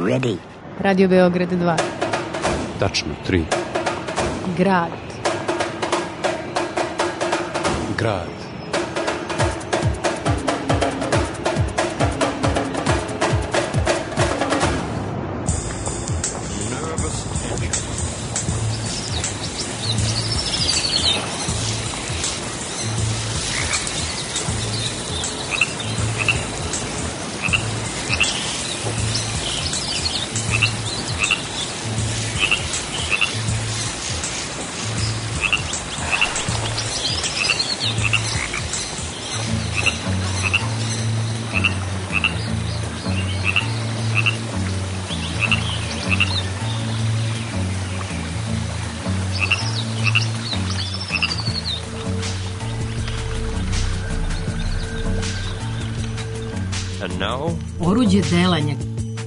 ready. Radio Beograd 2. Tačno 3. Grad. Grad. Oruđe delanja.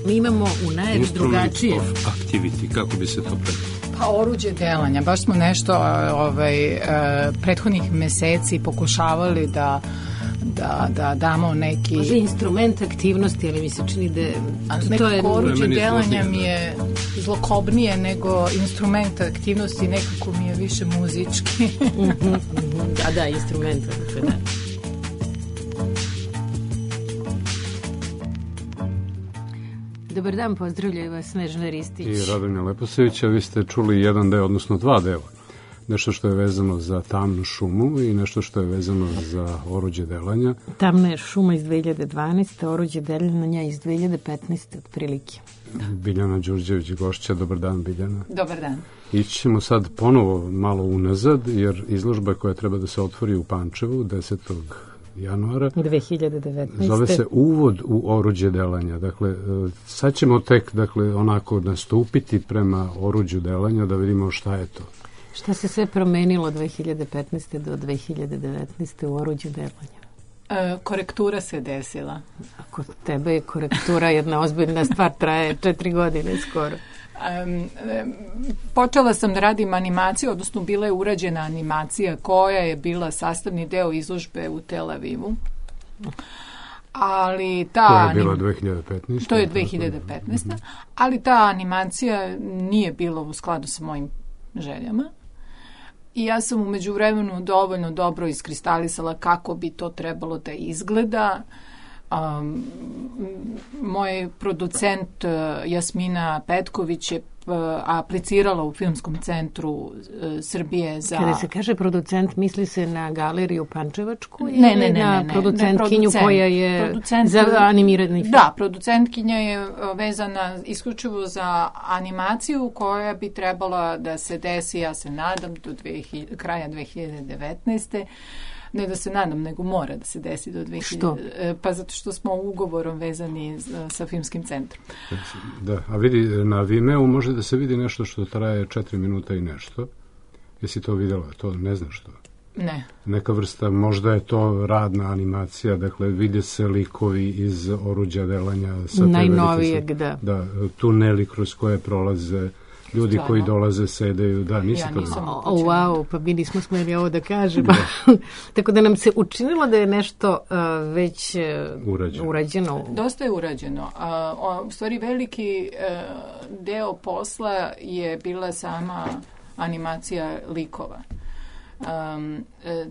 Mi imamo u najavi drugačije. Instrument of activity, kako bi se to predstavilo? Pa oruđe delanja. Baš smo nešto prethodnih meseci pokušavali da damo neki... Može instrument aktivnosti, ali mi se čini da... Nekako oruđe delanja mi je zlokobnije nego instrument aktivnosti, nekako mi je više muzički. Da, instrument. Da. Dobar dan, pozdravljaju vas Snežana Ristić i Radomir Leposević, a vi ste čuli jedan deo, odnosno dva dela. Nešto što je vezano za tamnu šumu i nešto što je vezano za oruđe delanja. Tamna je šuma iz 2012. Oruđe delanja iz 2015. otprilike. Biljana Đurđević gošća, dobar dan Biljana. Dobar dan. Ići ćemo sad ponovo malo unazad, jer izložba koja treba da se otvori u Pančevu 10. januara 2019. Zove se Uvod u oruđe delanja. Dakle, sad ćemo tek onako nastupiti prema oruđu delanja da vidimo šta je to. Šta se sve promenilo 2015. do 2019. u oruđu delanja? Korektura se desila. Kod tebe je korektura jedna ozbiljna stvar, traje 4 godine skoro. Počela sam da radim animaciju, odnosno bila je urađena animacija koja je bila sastavni deo izložbe u Tel Avivu. Ali to je bila 2015. To je 2015. Ali ta animacija nije bila u skladu sa mojim željama. I ja sam u međuvremenu dovoljno dobro iskristalisala kako bi to trebalo da izgleda. Moj producent Jasmina Petković je aplicirala u Filmskom centru Srbije za... Kada se kaže producent, misli se na galeriju Pančevačku ili na producentkinju koja je za animirani film? Da, producentkinja je vezana isključivo za animaciju koja bi trebala da se desi, ja se nadam, do kraja 2019. Ne da se nadam, nego mora da se desi do 2000. Što? Pa zato što smo ugovorom vezani sa Filmskim centrom. Da, a vidi, na Vimeo može da se vidi nešto što traje 4 minuta i nešto. Jesi to videla? To ne znaš što? Ne. Neka vrsta, možda je to radna animacija, dakle vide se likovi iz oruđa delanja. Najnovijeg, da. Da, tuneli kroz koje prolaze ljudi koji dolaze, sedeju, da, nisi to nisam wow, pa mi nismo smeli ovo da kažemo. Tako da nam se učinilo da je nešto već urađeno. Dosta je urađeno. U stvari veliki deo posla je bila sama animacija likova.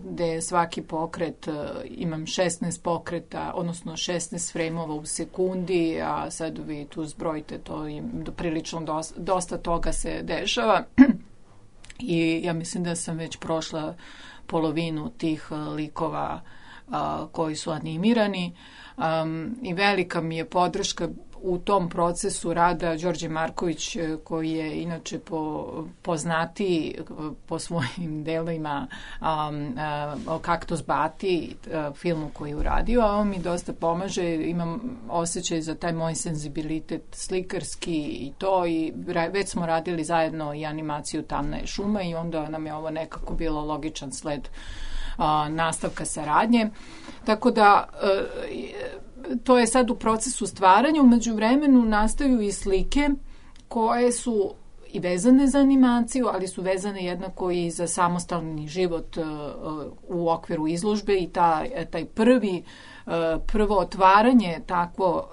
Gde je svaki pokret, imam 16 pokreta, odnosno 16 frejmova u sekundi, a sad vi tu zbrojite, to je prilično dosta toga se dešava i ja mislim da sam već prošla polovinu tih likova koji su animirani i velika mi je podrška u tom procesu rada Đorđe Marković, koji je inače poznatiji po svojim delima Kaktus Bati, filmu koji je uradio, a on mi dosta pomaže, imam osjećaj za taj moj senzibilitet slikarski i to, i već smo radili zajedno i animaciju Tamna je šuma i onda nam je ovo nekako bilo logičan sled nastavka saradnje. Tako da to je sad u procesu stvaranja. U međuvremenu nastaju i slike koje su i vezane za animaciju, ali su vezane jednako i za samostalni život u okviru izložbe i taj prvi prvo otvaranje takvo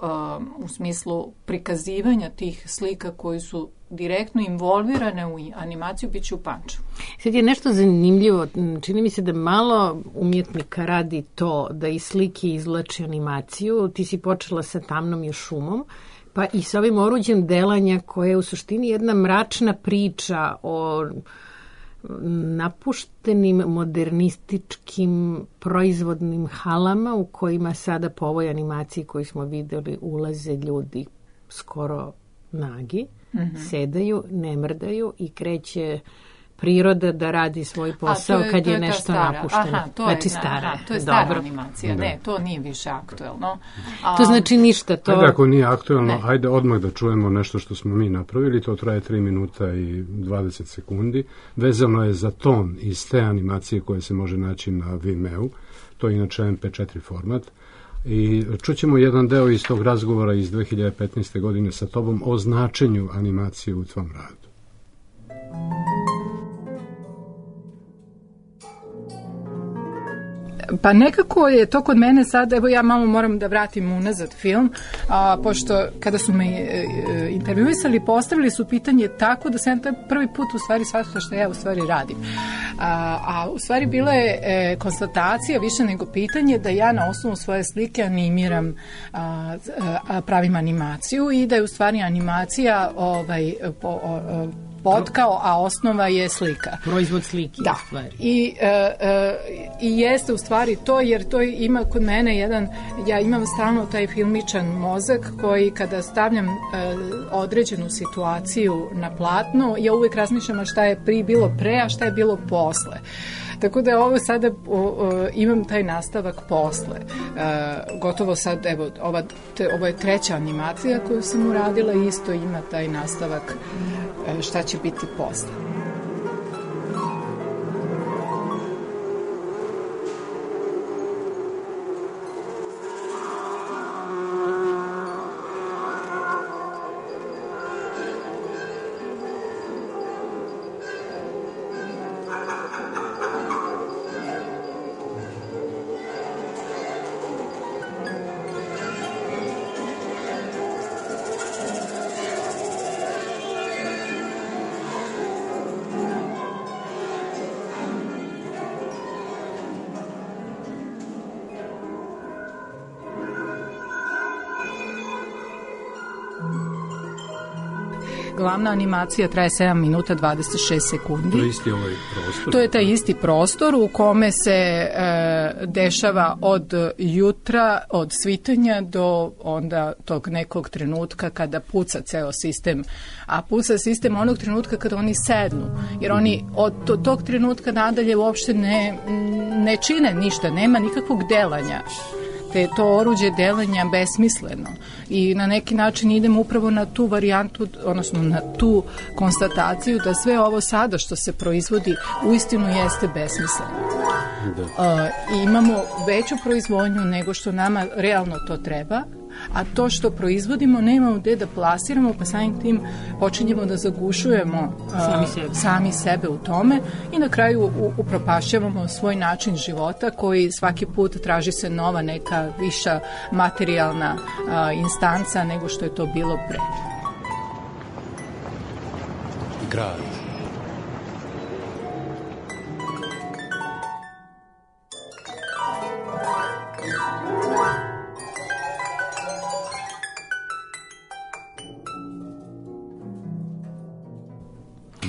u smislu prikazivanja tih slika koji su direktno involvirane u animaciju, bit će u Pančevu. Sad je nešto zanimljivo, čini mi se da malo umjetnika radi to da iz slike izvlači animaciju. Ti si počela sa Tamnom i šumom, pa i sa ovim oruđem delanja koje je u suštini jedna mračna priča o napuštenim modernističkim proizvodnim halama u kojima sada po ovoj animaciji koju smo videli ulaze ljudi skoro nagi, sedaju, ne mrdaju i kreće priroda da radi svoj posao kad je nešto napušteno. To je stara animacija. Ne, to nije više aktuelno. To znači ništa. Ajde, ako nije aktuelno, ajde odmah da čujemo nešto što smo mi napravili. To traje 3 minuta i 20 sekundi. Vezano je za ton iz te animacije koje se može naći na Vimeo. To je inače MP4 format. I čućemo jedan deo iz tog razgovora iz 2015. godine sa tobom o značenju animacije u tvom radu. Pa nekako je to kod mene sad, evo ja malo moram da vratim unazad film, pošto kada su me intervjuisali, postavili su pitanje tako da sam prvi put u stvari shvatila što ja u stvari radim. A u stvari bila je konstatacija više nego pitanje da ja na osnovu svoje slike animiram, pravim animaciju i da je u stvari animacija potkao, a osnova je slika. Proizvod slike. Da. I jeste u stvari to, jer to ima kod mene ja imam stalno taj filmičan mozak koji kada stavljam određenu situaciju na platno, ja uvijek razmišljam šta je bilo pre, a šta je bilo posle. Tako da ovo sada imam taj nastavak posle. Gotovo sad, evo, ovo je 3. animacija koju sam uradila i isto ima taj nastavak šta će biti posle. Glavna animacija traje 7 minuta 26 sekundi. To je isti ovaj prostor? To je taj isti prostor u kome se dešava od jutra, od svitanja do onda tog nekog trenutka kada puca ceo sistem. A puca sistem onog trenutka kada oni sednu. Jer oni od tog trenutka nadalje uopšte ne čine ništa, nema nikakvog delanja. Te to oruđe delanja besmisleno i na neki način idemo upravo na tu varijantu, odnosno na tu konstataciju da sve ovo sada što se proizvodi uistinu jeste besmisleno. I imamo veću proizvodnju nego što nama realno to treba, a to što proizvodimo nemamo gde da plasiramo, pa samim tim počinjemo da zagušujemo sami sebe u tome i na kraju upropašćavamo svoj način života koji svaki put traži se nova neka viša materijalna instanca nego što je to bilo pre. Grad.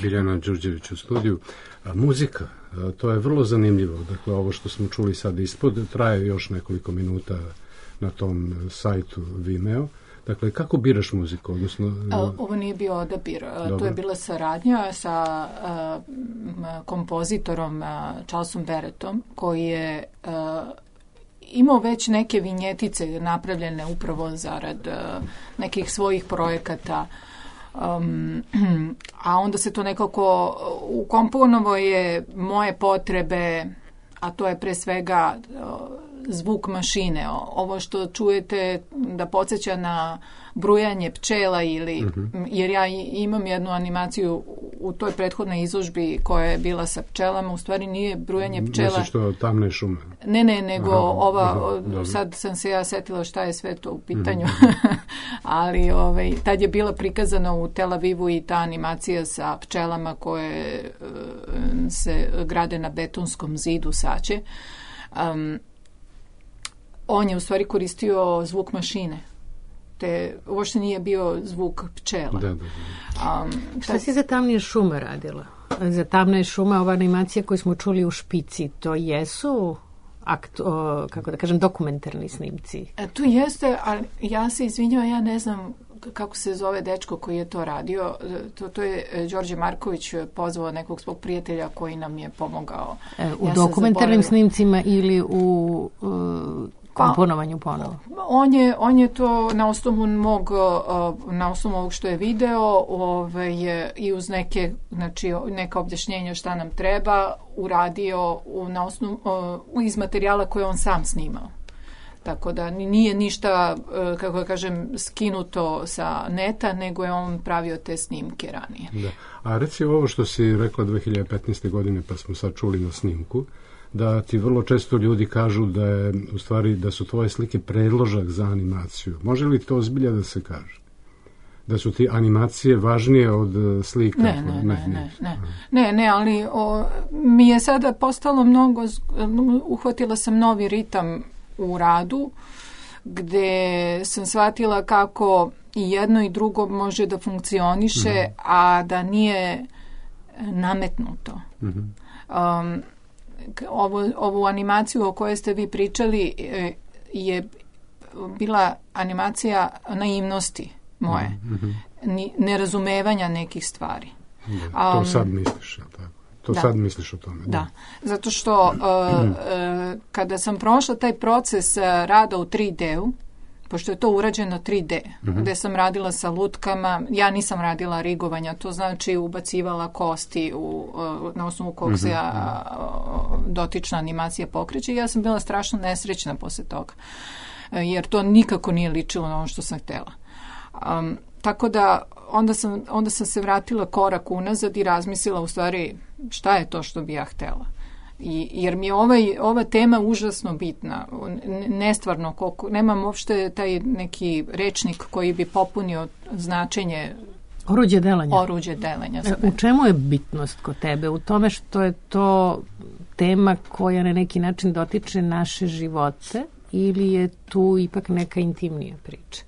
Biljana Đurđević u studiju. Muzika, to je vrlo zanimljivo. Dakle, ovo što smo čuli sad ispod, traje još nekoliko minuta na tom sajtu Vimeo. Dakle, kako biraš muziku? Odnosno, ovo nije bio odabir. To je bila saradnja sa kompozitorom Charlesom Barrettom, koji je imao već neke vinjetice napravljene upravo zarad nekih svojih projekata. A onda se to nekako ukomponovo je moje potrebe, a to je pre svega zvuk mašine. Ovo što čujete da podsjeća na brujanje pčela ili, jer ja imam jednu animaciju u toj prethodnoj izložbi koja je bila sa pčelama, u stvari nije brujanje pčela. Misliš to tamne šume? Ne, nego sad sam se ja setila šta je sve to u pitanju, ali tad je bila prikazana u Tel Avivu i ta animacija sa pčelama koje se grade na betonskom zidu saće. On je u stvari koristio zvuk mašine. Uopšte nije bio zvuk pčela. Da. Šta si za tamnije šume radila? Za tamne šume, ova animacija koju smo čuli u Špici, to jesu dokumentarni snimci? Tu jeste, ali ja se izvinjavam, ja ne znam kako se zove dečko koji je to radio. To je Đorđe Marković pozvao nekog svog prijatelja koji nam je pomogao. U dokumentarnim snimcima ili u komponovanju ponovo? On je to na osnovu ovog što je video i uz neka objašnjenja šta nam treba uradio na osnovu iz materijala koje on sam snimao. Tako da nije ništa, kako da kažem, skinuto sa neta, nego je on pravio te snimke ranije. Da. A reci ovo što si rekla 2015. godine, pa smo sad čuli na snimku, da ti vrlo često ljudi kažu da je, u stvari, da su tvoje slike predložak za animaciju. Može li to ozbilja da se kaže? Da su ti animacije važnije od slika? Ne, ali mi je sada postalo uhvatila sam novi ritam u radu, gde sam shvatila kako i jedno i drugo može da funkcioniše, a da nije nametnuto. Ovu animaciju o kojoj ste vi pričali je bila animacija naivnosti moje, nerazumevanja nekih stvari. To sad misliš, tako? Sad misliš o tome. Da, zato što kada sam prošla taj proces rada u 3D-u, pošto je to urađeno 3D, gde sam radila sa lutkama, ja nisam radila rigovanja, to znači ubacivala kosti na osnovu kog se dotična animacija pokreće. Ja sam bila strašno nesrećna posle toga, jer to nikako nije ličilo na ono što sam htjela. Tako da onda sam se vratila korak unazad i razmislila u stvari šta je to što bi ja htjela. Jer mi je ova tema užasno bitna. Nestvarno, nemam uopšte taj neki rečnik koji bi popunio značenje oruđe delanja. U čemu je bitnost kod tebe? U tome što je to tema koja na neki način dotiče naše živote ili je tu ipak neka intimnija priča?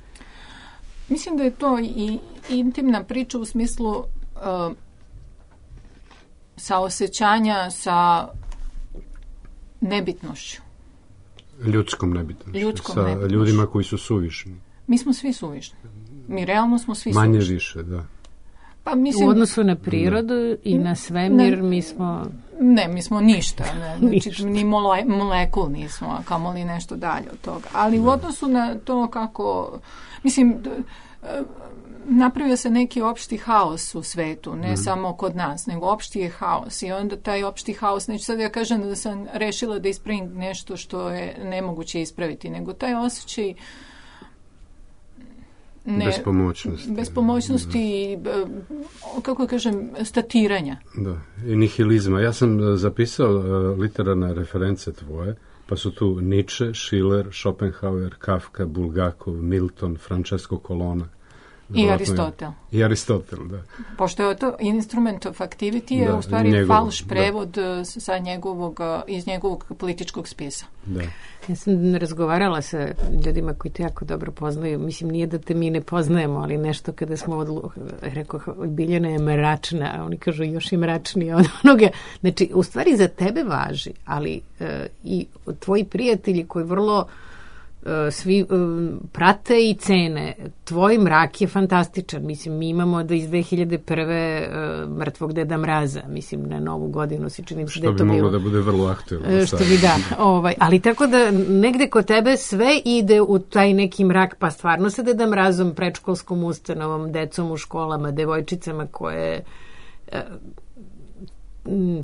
Mislim da je to i intimna priča u smislu saosećanja sa nebitnošću. Ljudskom nebitnošću. Sa ljudima koji su suvišni. Mi smo svi suvišni. Mi realno smo svi suvišni. Manje više, da. Pa, mislim, u odnosu na prirodu i na svemir mi smo... Ne, mi smo ništa. Znači, ni molekul nismo, a kamoli nešto dalje od toga. Ali u odnosu na to kako... Mislim... napravio se neki opšti haos u svetu, ne samo kod nas, nego opšti je haos i onda taj opšti haos, neću sad ja kažem da sam rešila da ispravim nešto što je nemoguće ispraviti, nego taj osjećaj bespomoćnosti i, kako kažem, statiranja. Da, i nihilizma. Ja sam zapisao literarne reference tvoje, pa su tu Nietzsche, Schiller, Schopenhauer, Kafka, Bulgakov, Milton, Francesco Colonna. I Aristotel. I Aristotel, da. Pošto je to instrument of activity, je u stvari falš prevod iz njegovog političkog spisa. Da. Ja sam razgovarala sa ljudima koji te jako dobro poznaju. Mislim, nije da te mi ne poznajemo, ali nešto kada smo rekao, Biljana je mračna, a oni kažu još i mračnije od onoga. Znači, u stvari za tebe važi, ali i tvoji prijatelji koji vrlo svi prate i cene. Tvoj mrak je fantastičan. Mislim, mi imamo da iz 2001. Mrtvog Deda Mraza, mislim, na Novu godinu si činim se da je to bilo. Što bi moglo da bude vrlo aktuelno. Što bi ali tako da negde kod tebe sve ide u taj neki mrak, pa stvarno se Deda Mrazom, predškolskom ustanovom, decom u školama, devojčicama koje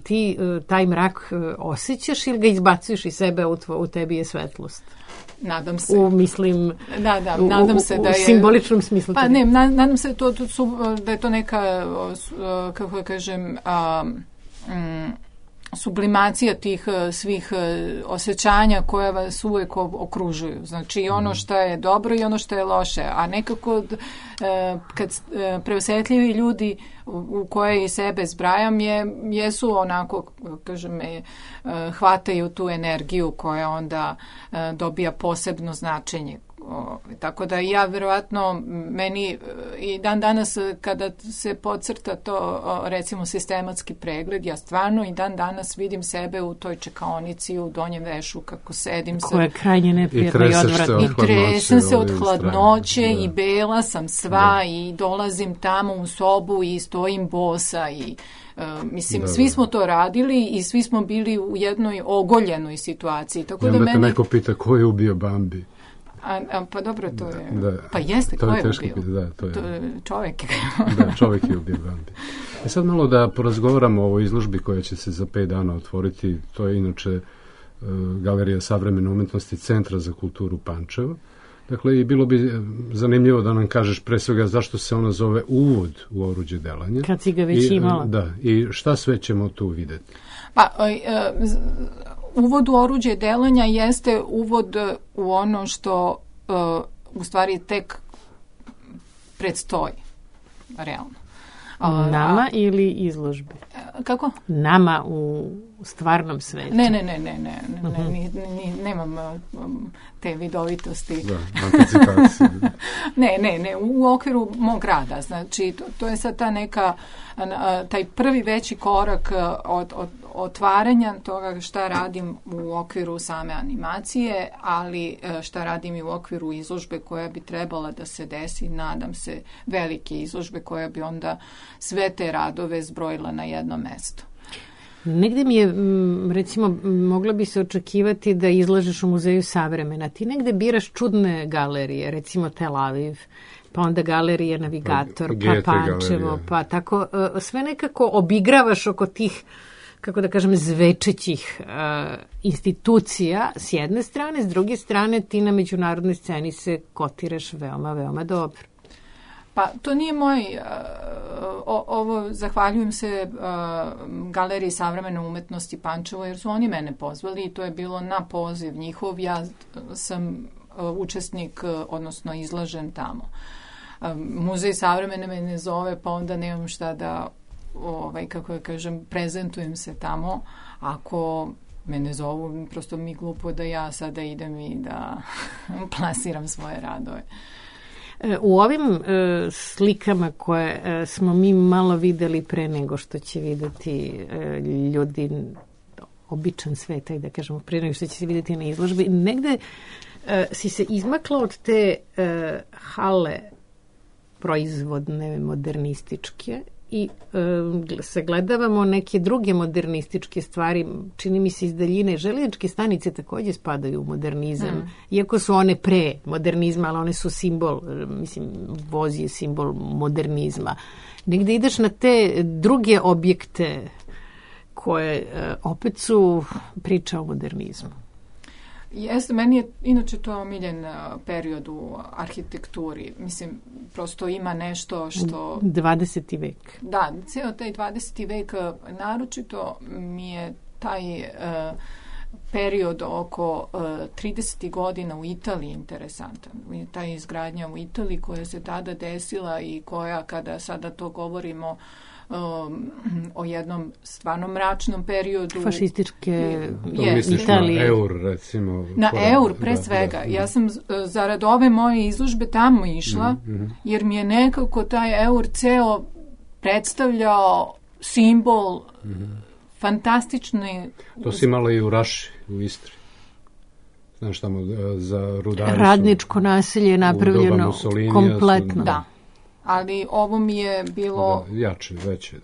ti taj mrak osjećaš ili ga izbacuješ iz sebe, u tebi je svetlost? Nadam se. Mislim, nadam se da je... U simboličnom smislu. Pa ne, nadam se da je to neka, kako da kažem, sublimacija tih svih osjećanja koje vas uvijek okružuju. Znači ono što je dobro i ono što je loše. A nekako kad preosjetljivi ljudi u koje i sebe zbrajam jesu onako, kažem, hvataju tu energiju koja onda dobija posebno značenje. Tako da ja vjerovatno meni i dan danas kada se podcrta to recimo sistematski pregled, ja stvarno i dan danas vidim sebe u toj čekaonici u donjem vešu kako sedim koja je krajnje neprijatna i odvratna. I tresem se od hladnoće i bela sam sva i dolazim tamo u sobu i stojim bosa i mislim, svi smo to radili i svi smo bili u jednoj ogoljenoj situaciji. Tako da meni... neko pita ko je ubio Bambi. Pa dobro, to je... Pa jeste, ko je ubio? To je čovjek. Čovjek je ubio Bambi. Sad malo da porazgovaramo o ovoj izložbi koja će se za 5 dana otvoriti. To je inače Galerija savremene umjetnosti Centra za kulturu Pančevo. Dakle, i bilo bi zanimljivo da nam kažeš pre svega zašto se ona zove Uvod u oruđe delanja. Kad si ga već imala. Da, i šta sve ćemo tu vidjeti? Pa, uvod u oruđe delanja jeste uvod u ono što u stvari tek predstoji, realno. Nama ili izložbe? Kako? Nama u stvarnom svetu. Nemam te vidovitosti. Da, anticipacije. Ne, u okviru mog rada. Znači, to je sad ta neka, taj prvi veći korak od otvaranja toga šta radim u okviru same animacije, ali šta radim i u okviru izložbe koja bi trebala da se desi, nadam se, velike izložbe koja bi onda sve te radove zbrojila na jedno mesto. Negde mi je, recimo, moglo bi se očekivati da izlažeš u Muzeju savremena. Ti negde biraš čudne galerije, recimo Tel Aviv, pa onda Galerija Navigator, pa Pančevo, pa tako, sve nekako obigravaš oko tih, kako da kažem, zvečećih institucija s jedne strane, s druge strane ti na međunarodnoj sceni se kotiraš veoma, veoma dobro. Pa to nije moj, ovo zahvaljujem se Galeriji savremene umjetnosti Pančevo jer su oni mene pozvali i to je bilo na poziv njihov, ja sam učesnik, odnosno izlažem tamo. Muzej savremene me ne zove, pa onda nemam šta da, kako ja kažem, prezentujem se tamo. Ako me ne zovu, prosto mi glupo da ja sada idem i da plasiram svoje radove. U ovim slikama koje smo mi malo videli pre nego što će videti ljudi, običan svet, da kažemo, pre nego što će se videti na izložbi, negde si se izmakla od te hale proizvodne, modernističke i sagledavamo neke druge modernističke stvari, čini mi se iz daljine. Željezničke stanice također spadaju u modernizam, iako su one pre modernizma, ali one su simbol, mislim, voz je simbol modernizma. Negde ideš na te druge objekte koje opet su priča o modernizmu. Jeste, meni je inače to omiljen period u arhitekturi. Mislim, prosto ima nešto što... 20. vek. Da, cijelo taj 20. vek, naročito mi je taj period oko 30. godina u Italiji interesantan. Ta izgradnja u Italiji koja se tada desila i koja, kada sada to govorimo, o jednom stvarno mračnom periodu. Fašističke Italije. Na eur, recimo. Na eur, pre svega. Da. Ja sam zarad ove moje izložbe tamo išla, jer mi je nekako taj eur ceo predstavljao simbol fantastični... To si imala i u Raši, u Istri. Znaš, tamo za rudari radničko naselje je napravljeno kompletno. Da. ali ovo mi je bilo jače, veće.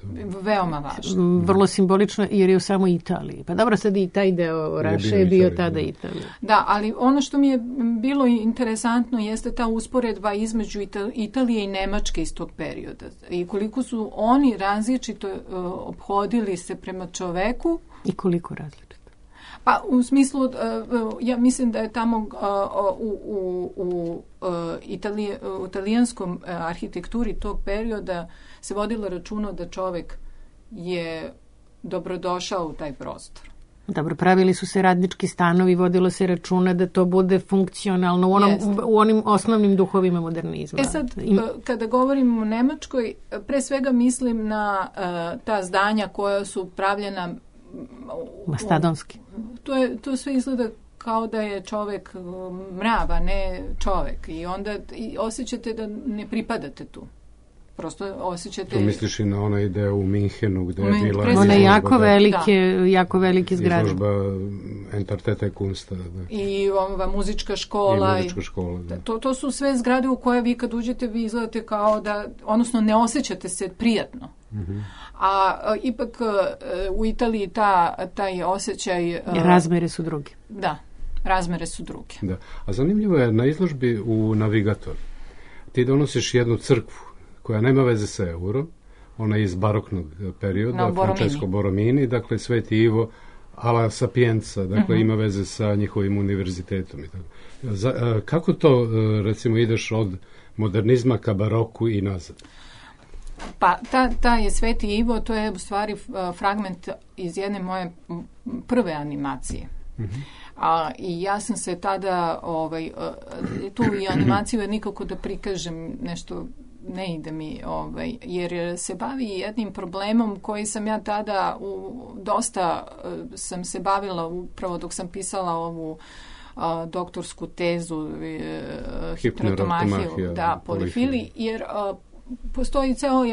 Veoma važno. Vrlo simbolično jer je u samoj Italiji. Pa dobro, sad i taj deo Raše je bio tada Italija. Da, ali ono što mi je bilo interesantno jeste ta usporedba između Italije i Nemačke iz tog perioda. I koliko su oni različito ophodili se prema čoveku. I koliko različito? Pa u smislu, ja mislim da je tamo u italijanskom arhitekturi tog perioda se vodilo računa da čovek je dobrodošao u taj prostor. Dobro, pravili su se radnički stanovi, vodilo se računa da to bude funkcionalno u onim osnovnim duhovima modernizma. Sad, kada govorim o Nemačkoj, pre svega mislim na ta zdanja koja su pravljena mastodonski. To sve izgleda kao da je čovek mrav, a ne čovek. I onda osjećate da ne pripadate tu. Prosto osjećate... To misliš i na ona ideja u Minhenu gde je bila... One jako velike zgrade. Izložba Entartete Kunsta. Da. I ova muzička škola. Da. To su sve zgrade u koje vi kad uđete vi izgledate kao da, odnosno ne osjećate se prijatno. Mm-hmm. A ipak u Italiji taj osjećaj... Razmere su druge. Da, razmere su druge. Da. A zanimljivo je na izložbi u Navigator. Ti donosiš jednu crkvu koja nema veze sa eurom, ona je iz baroknog perioda, Francesco Borromini, dakle Sveti Ivo alla Sapienza, dakle ima veze sa njihovim univerzitetom. I tako. Kako to, recimo, ideš od modernizma ka baroku i nazad? Pa, ta je Sveti Ivo, to je u stvari fragment iz jedne moje prve animacije. Mm-hmm. I ja sam se tada, tu i animaciju nikako da prikažem nešto, ne ide mi, jer se bavi jednim problemom koji sam ja tada dosta sam se bavila upravo dok sam pisala ovu doktorsku tezu hipnerotomahiju, polifili, jer postoji ceo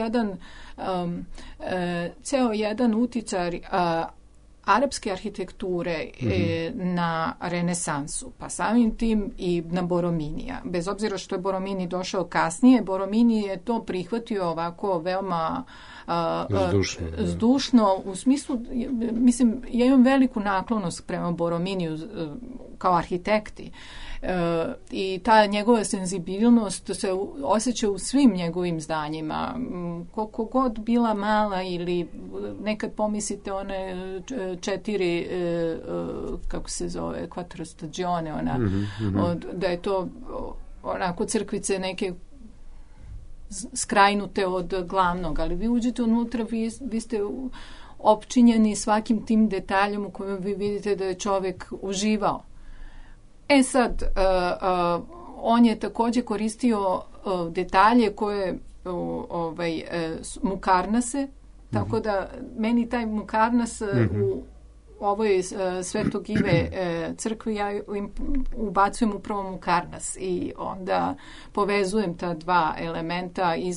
jedan uticaj arapske arhitekture na renesansu, pa samim tim i na Borrominija. Bez obzira što je Borromini došao kasnije, Borromini je to prihvatio ovako veoma zdušno, u smislu, mislim, ja imam veliku naklonost prema Borrominiju kao arhitekti. I ta njegova senzibilnost se osjeća u svim njegovim zdanjima. Koliko god bila mala ili nekad pomislite one 4 kako se zove, quattro stagione, da je to onako crkvice neke skrajnute od glavnog, ali vi uđete unutra, vi ste opčinjeni svakim tim detaljom u kojem vi vidite da je čovjek uživao. Sad, on je također koristio detalje koje Mukarnase, tako da meni taj Mukarnas u ovoj Svetog Ive crkvi ja ubacujem upravo Mukarnas i onda povezujem ta dva elementa i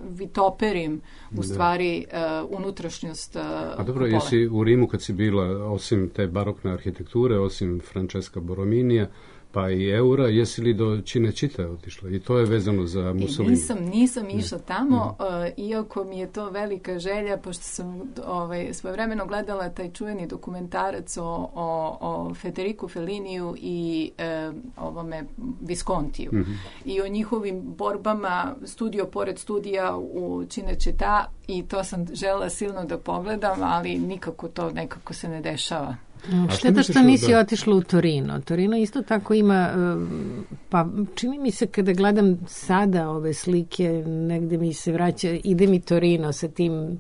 vitoperim u stvari unutrašnjost A dobro, jesi u Rimu kad si bila, osim te barokne arhitekture, osim Francesca Borrominija, pa i eura, jesi li do Cinecittà otišla? I to je vezano za Mussolini. Nisam išla tamo, iako mi je to velika želja, pošto sam svojevremeno gledala taj čuveni dokumentarac o Federicu Felliniju i ovome Viscontiju. Mm-hmm. I o njihovim borbama studio pored studija u Cinecittà, i to sam želela silno da pogledam, ali nikako to nekako se ne dešava. Šteta što nisi otišla u Torino. Torino isto tako ima, pa čini mi se kada gledam sada ove slike, negde mi se vraća, ide mi Torino sa tim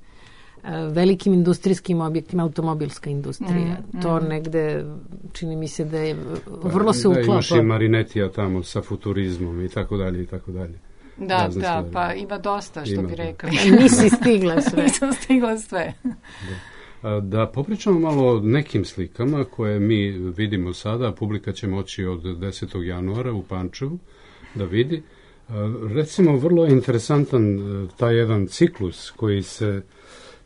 velikim industrijskim objektima, automobilska industrija. To negde, čini mi se da je vrlo se uklapa. Da, imaš i Marinetija tamo sa futurizmom i tako dalje i tako dalje. Da, pa ima dosta, što bi rekli. Nisi stigla sve. Nisam stigla sve. Da popričamo malo o nekim slikama koje mi vidimo sada, publika će moći od 10. januara u Pančevu da vidi. Recimo, vrlo je interesantan taj jedan ciklus koji se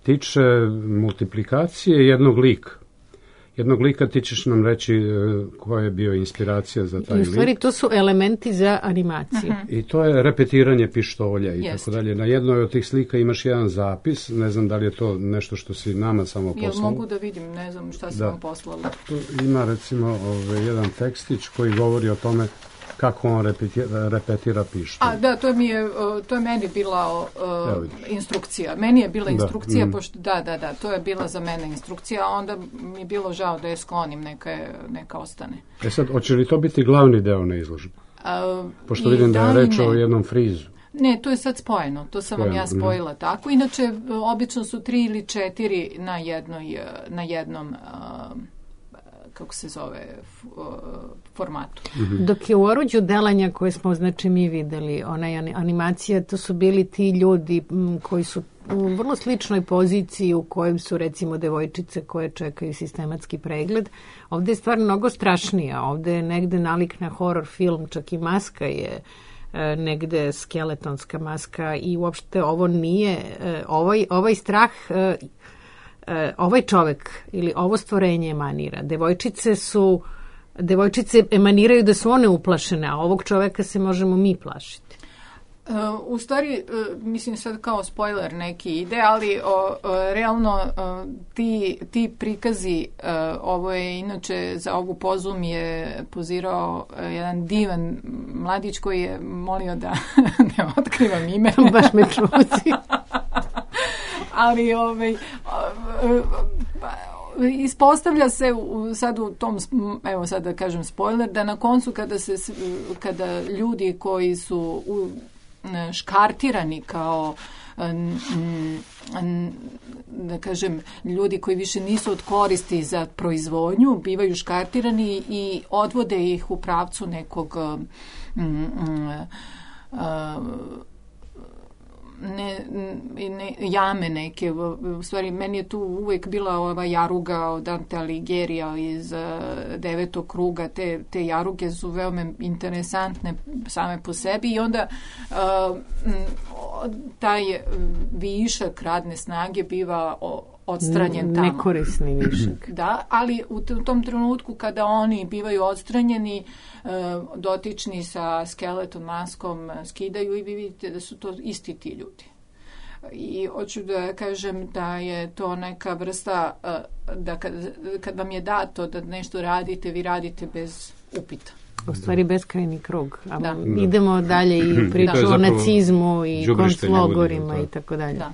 tiče multiplikacije jednog lika. jednog lika, ti ćeš nam reći koja je bio inspiracija za taj lik. I u stvari to su elementi za animaciju. I to je repetiranje pištolja i tako dalje. Na jednoj od tih slika imaš jedan zapis, ne znam da li je to nešto što si nama samo poslala. Jel mogu da vidim, ne znam šta si vam poslala. Tu ima recimo jedan tekstić koji govori o tome kako on repetira pištolj. A da, to je meni bila instrukcija. Meni je bila instrukcija, pošto da, to je bila za mene instrukcija, a onda mi je bilo žao da je sklonim, neka ostane. Sad, hoće li to biti glavni deo na izložbi? Pošto vidim da je reč o jednom frizu. Ne, to je sad spojeno, to sam vam ja spojila tako. Inače, obično su 3 ili 4 na jednom kako se zove, formatu. Dok je u oruđu delanja koje smo, znači, mi videli, onaj animacija, to su bili ti ljudi koji su u vrlo sličnoj poziciji u kojem su, recimo, devojčice koje čekaju sistematski pregled. Ovde je stvar mnogo strašnija. Ovde je negde nalik na horor film, čak i maska je negde skeletonska maska i uopšte ovo nije, ovaj strah, ovaj čovek ili ovo stvorenje emanira. Devojčice emaniraju da su one uplašene, a ovog čoveka se možemo mi plašiti. U stvari, mislim sad kao spoiler neki ide, ali realno ti prikazi, ovo je inače za ovu pozu mi je pozirao jedan divan mladić koji je molio da ne otkrivam ime. Baš me čuci. Ali ispostavlja se sad u tom, evo sad da kažem spoiler, da na koncu kada ljudi koji su škartirani kao da kažem ljudi koji više nisu od koristi za proizvodnju, bivaju škartirani i odvode ih u pravcu nekog jame neke. U stvari, meni je tu uvijek bila ova jaruga od Dante Alighiera iz 9. kruga. Te jaruge su veoma interesantne same po sebi i onda taj višak radne snage biva odstranjen tamo. Nekorisni višak. Da, ali u tom trenutku kada oni bivaju odstranjeni, dotični sa skeleton maskom skidaju i vi vidite da su to isti ti ljudi. I hoću da kažem da je to neka vrsta da kad vam je dato da nešto radite, vi radite bez upita. U stvari beskrajni krug. Idemo dalje i priču o nacizmu i konclogorima i tako dalje. Da.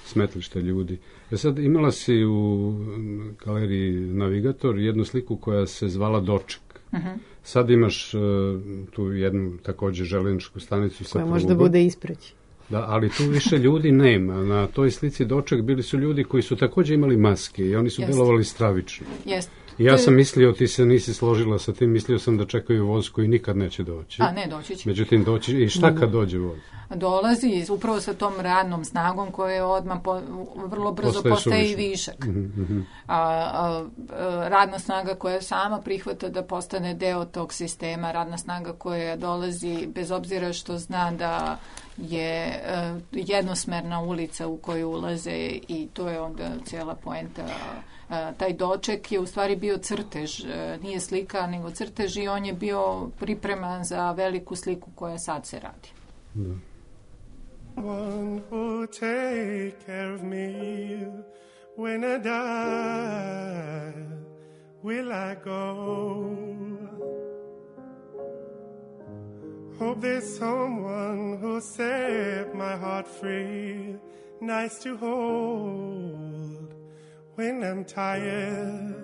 Smetlište ljudi. Sad imala si u galeriji Navigator jednu sliku koja se zvala Doček. Sad imaš tu jednu također železničku stanicu sa prugom. Koja možda bude ispreći. Da, ali tu više ljudi nema. Na toj slici Doček bili su ljudi koji su također imali maske i oni su delovali stravično. Jeste. Ja sam mislio, ti se nisi složila sa tim, mislio sam da čekaju voz koji nikad neće doći. A ne, doći će. Međutim, doći, i šta kad dođe voz? Dolazi upravo sa tom radnom snagom koja je odmah vrlo brzo postaje i višak. Radna snaga koja sama prihvata da postane deo tog sistema, radna snaga koja dolazi bez obzira što zna da je jednosmerna ulica u koju ulaze i to je onda cijela poenta. Taj Doček je u stvari bio crtež, nije slika nego crtež i on je bio pripreman za veliku sliku koja sad se radi. One who take care of me when I die, will I go? Hope there's someone who'll set my heart free, nice to hold when I'm tired.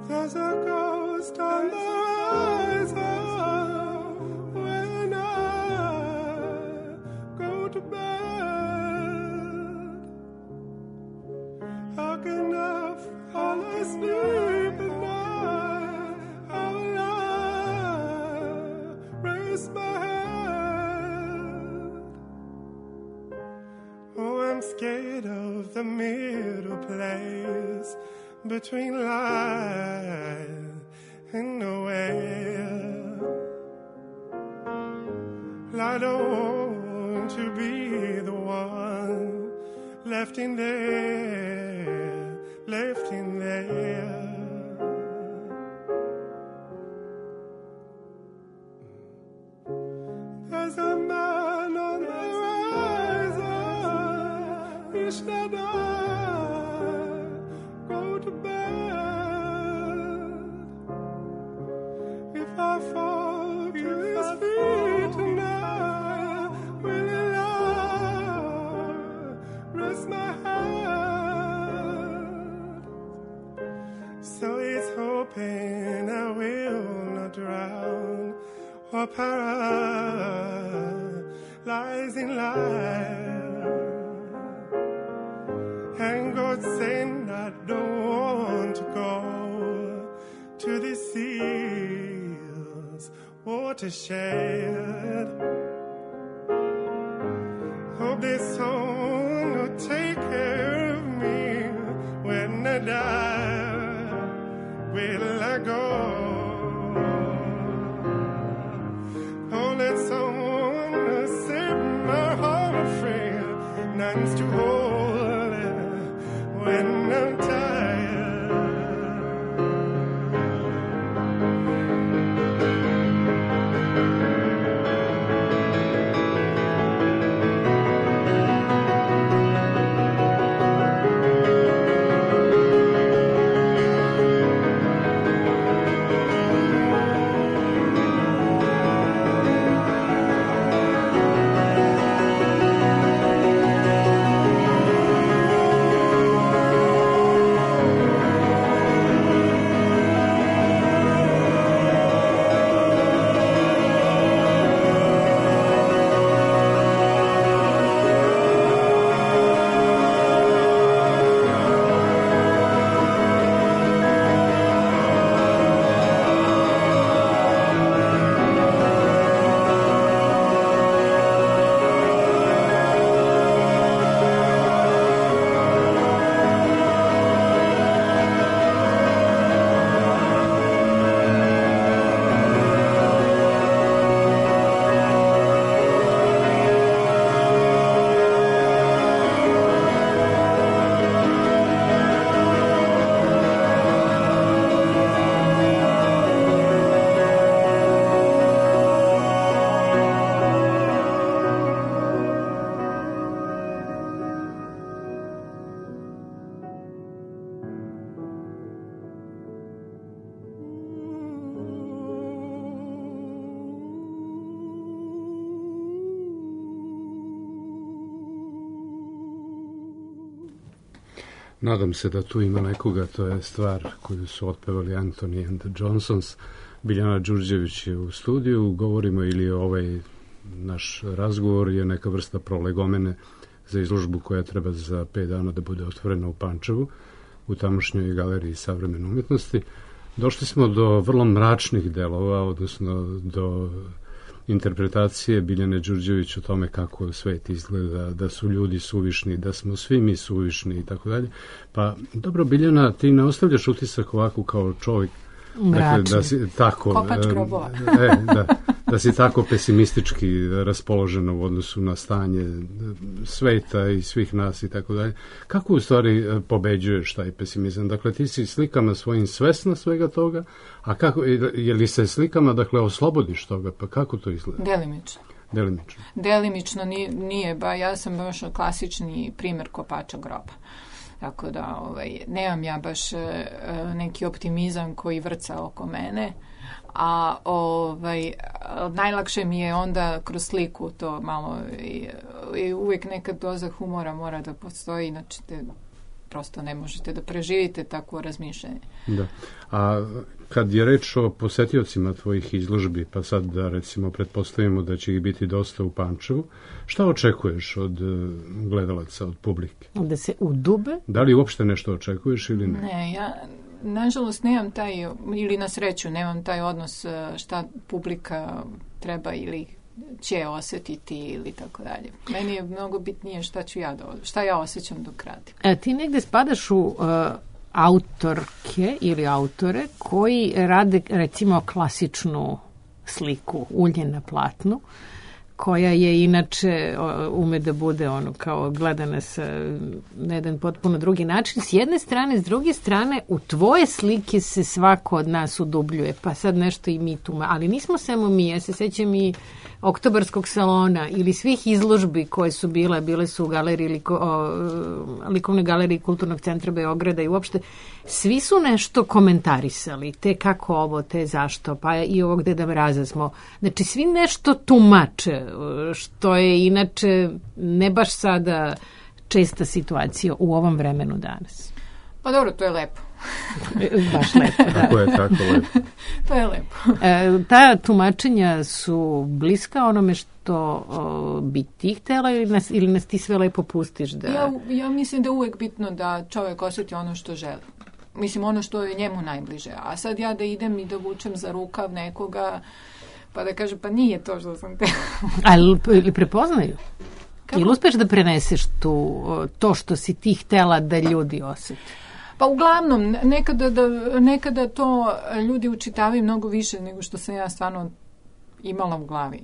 There's a ghost on the horizon when I go to bed. How can I fall asleep at night? How will I raise my head? Oh, I'm scared of the middle place between life and nowhere. I don't want to be the one left in there, left in there. There's a man on the horizon, wish that I go to bed. If I fall to his feet tonight, will he rest my hand? So he's hoping I will not drown or paralyze in life. And God saying I don't want to go to the seas watershed. Hope this song will take care of me when I die. Will I go? Oh, let someone set my heart free. None's too holy when I'm tired. Nadam se da tu ima nekoga, to je stvar koju su otpevali Anthony and the Johnsons. Biljana Đurđević je u studiju, govorimo ili ovaj naš razgovor je neka vrsta prolegomene za izložbu koja treba za 5 dana da bude otvorena u Pančevu, u tamošnjoj galeriji savremene umjetnosti. Došli smo do vrlo mračnih delova, odnosno do interpretacije Biljane Đurđević o tome kako svet izgleda, da su ljudi suvišni, da smo svi mi suvišni i tako dalje. Pa dobro, Biljana, ti ne ostavljaš utisak ovako kao čovjek, dakle, da si tako kopač grobova. da si tako pesimistički raspoložena u odnosu na stanje sveta i svih nas i tako dalje. Kako u stvari pobeđuješ taj pesimizam? Dakle, ti si slikama svojim svesna svega toga, a kako, je li se slikama, dakle, oslobodiš toga, pa kako to izgleda? Delimično nije, ja sam baš klasični primjer kopača groba. Tako da nemam ja baš neki optimizam koji vrca oko mene, a najlakše mi je onda kroz sliku to malo i uvijek neka doza humora mora da postoji, inače prosto ne možete da preživite takvo razmišljanje. Da. A kad je reč o posetiocima tvojih izložbi, pa sad da recimo pretpostavimo da će ih biti dosta u Pančevu, šta očekuješ od gledalaca, od publike? Da se udube? Da li uopšte nešto očekuješ ili ne? Ne, ja nažalost nemam taj, ili na sreću nemam taj odnos šta publika treba ili će osjetiti ili tako dalje. Meni je mnogo bitnije šta ja osjećam dok radim. Ti negde spadaš u autorke ili autore koji rade recimo klasičnu sliku, ulje na platnu, koja je inače ume da bude ono kao gledana na jedan potpuno drugi način. S jedne strane, s druge strane, u tvoje slike se svako od nas udubljuje, pa sad nešto i mi tu, ali nismo samo mi, ja se sećam i Oktobarskog salona ili svih izložbi koje su bile su u galeriji, likovnoj galeriji Kulturnog centra Beograda i uopšte svi su nešto komentarisali, te kako ovo, te zašto, pa i ovog Deda Mraza smo, znači svi nešto tumače, što je inače ne baš sada česta situacija u ovom vremenu danas. Pa dobro, to je lepo. Baš lepo, da. Tako je, tako lepo. To je lepo. Ta tumačenja su bliska onome što bi ti htjela ili nas ti sve lepo pustiš? Da... Ja mislim da je uvek bitno da čovjek osjeti ono što želi. Mislim, ono što je njemu najbliže. A sad ja da idem i da vučem za rukav nekoga, pa da kažem, pa nije to što sam te... Ali prepoznaju? Kako? Ili uspeš da preneseš to što si ti htjela da ljudi osjeti? Pa uglavnom, nekada to ljudi učitavaju mnogo više nego što sam ja stvarno imala u glavi.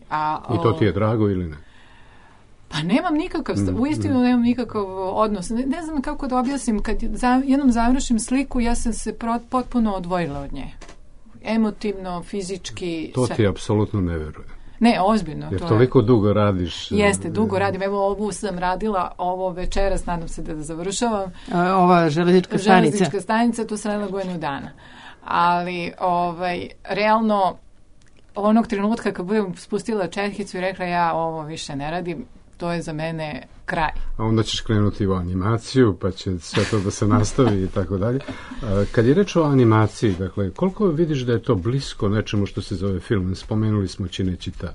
I to ti je drago ili ne? Pa nemam nikakav, uistinu nemam nikakav odnos. Ne znam kako da objasnim, kad jednom završim sliku, ja sam se potpuno odvojila od nje. Emotivno, fizički. To ti apsolutno ne verujem. Ne, ozbiljno. Jer toliko dugo radiš. Jeste, dugo radim. Evo, ovu sam radila, ovo večeras, nadam se da završavam. Ova železnička stanica. Železnička stanica, tu sam radila godinu dana. Ali, realno, onog trenutka kad budem spustila četkicu i rekla ja ovo više ne radim, to je za mene kraj. A onda ćeš krenuti u animaciju, pa će sve to da se nastavi i tako dalje. Kad je reč o animaciji, dakle, koliko vidiš da je to blisko nečemu što se zove film? Spomenuli smo Cinecittà.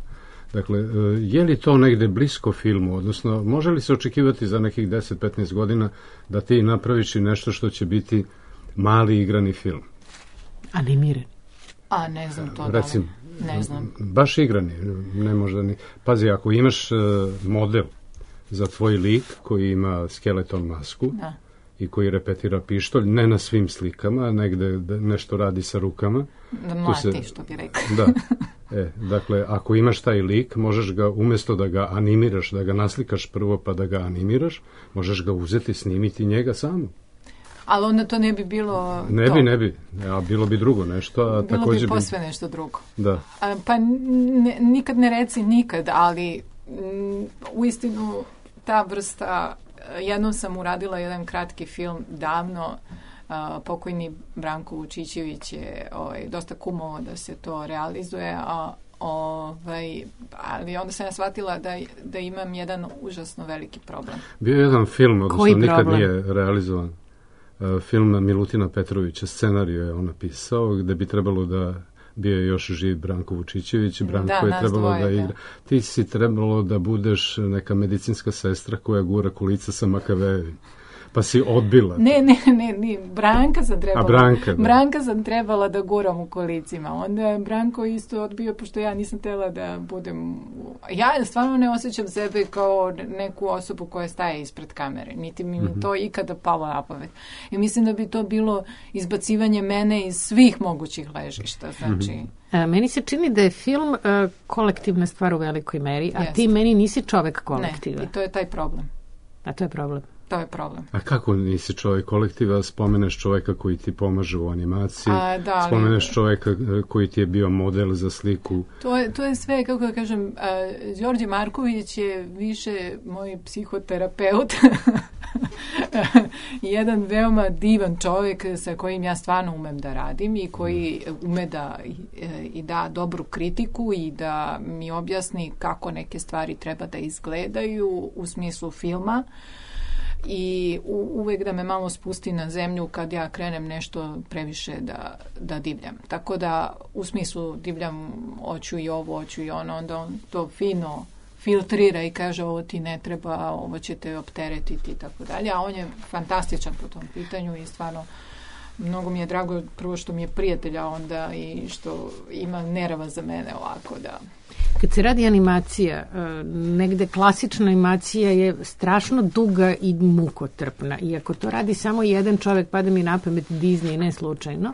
Dakle, je li to negde blisko filmu? Odnosno, može li se očekivati za nekih 10-15 godina da ti napraviš i nešto što će biti mali igrani film? Animiran. A, ne znam to. Recimo, ne znam. Baš igrani, ne možda ni... Pazi, ako imaš model za tvoj lik koji ima skeleton masku i koji repetira pištolj, ne na svim slikama, negde nešto radi sa rukama. Da mlati, što bi rekao. Da. Dakle, ako imaš taj lik, možeš ga, umjesto da ga animiraš, da ga naslikaš prvo pa da ga animiraš, možeš ga uzeti, snimiti njega samo. Ali onda to ne bi bilo Ne bi. A bilo bi drugo nešto. A bilo bi posve nešto drugo. Da. Pa nikad ne reci nikad, ali uistinu ta vrsta, jednom sam uradila jedan kratki film davno, pokojni Branko Vučićević je dosta kumovao da se to realizuje, ali onda sam ja shvatila da imam jedan užasno veliki problem. Bio je jedan film, odnosno nikad nije realizovan. Film Milutina Petrovića, scenariju je on napisao, gde bi trebalo da bio je još živ Branko Vučićević, Branko je trebalo da igra. Ti si trebalo da budeš neka medicinska sestra koja gura kolica sa Makavejevim. Pa si odbila. Ne, Branka sam trebala. Branka sam trebala da guram u kolicima. Onda je Branko isto odbio, pošto ja nisam htjela da budem... Ja stvarno ne osjećam sebe kao neku osobu koja staje ispred kamere. Niti mi to ikada palo na pamet. I mislim da bi to bilo izbacivanje mene iz svih mogućih ležišta. Znači... Meni se čini da je film kolektivna stvar u velikoj meri, a ti meni nisi čovek kolektiva. Ne, i to je taj problem. A to je problem. To je problem. A kako nisi čovjek kolektiva, spomeneš čovjeka koji ti pomaže u animaciji, spomeneš čovjeka koji ti je bio model za sliku. To je sve, kako da kažem, Đorđe Marković je više moj psihoterapeut, jedan veoma divan čovjek sa kojim ja stvarno umem da radim i koji ume da i da dobru kritiku i da mi objasni kako neke stvari treba da izgledaju u smislu filma. I uvek da me malo spusti na zemlju kad ja krenem nešto previše da divljam. Tako da u smislu divljam, hoću i ovo, hoću i ono, onda on to fino filtrira i kaže ovo ti ne treba, ovo će te opteretiti i tako dalje. A on je fantastičan po tom pitanju i stvarno mnogo mi je drago prvo što mi je prijatelja onda i što ima nerava za mene ovako da... Kad se radi animacija, negde klasična animacija je strašno duga i mukotrpna. I ako to radi samo jedan čovjek, pada mi na pamet Disney, ne slučajno,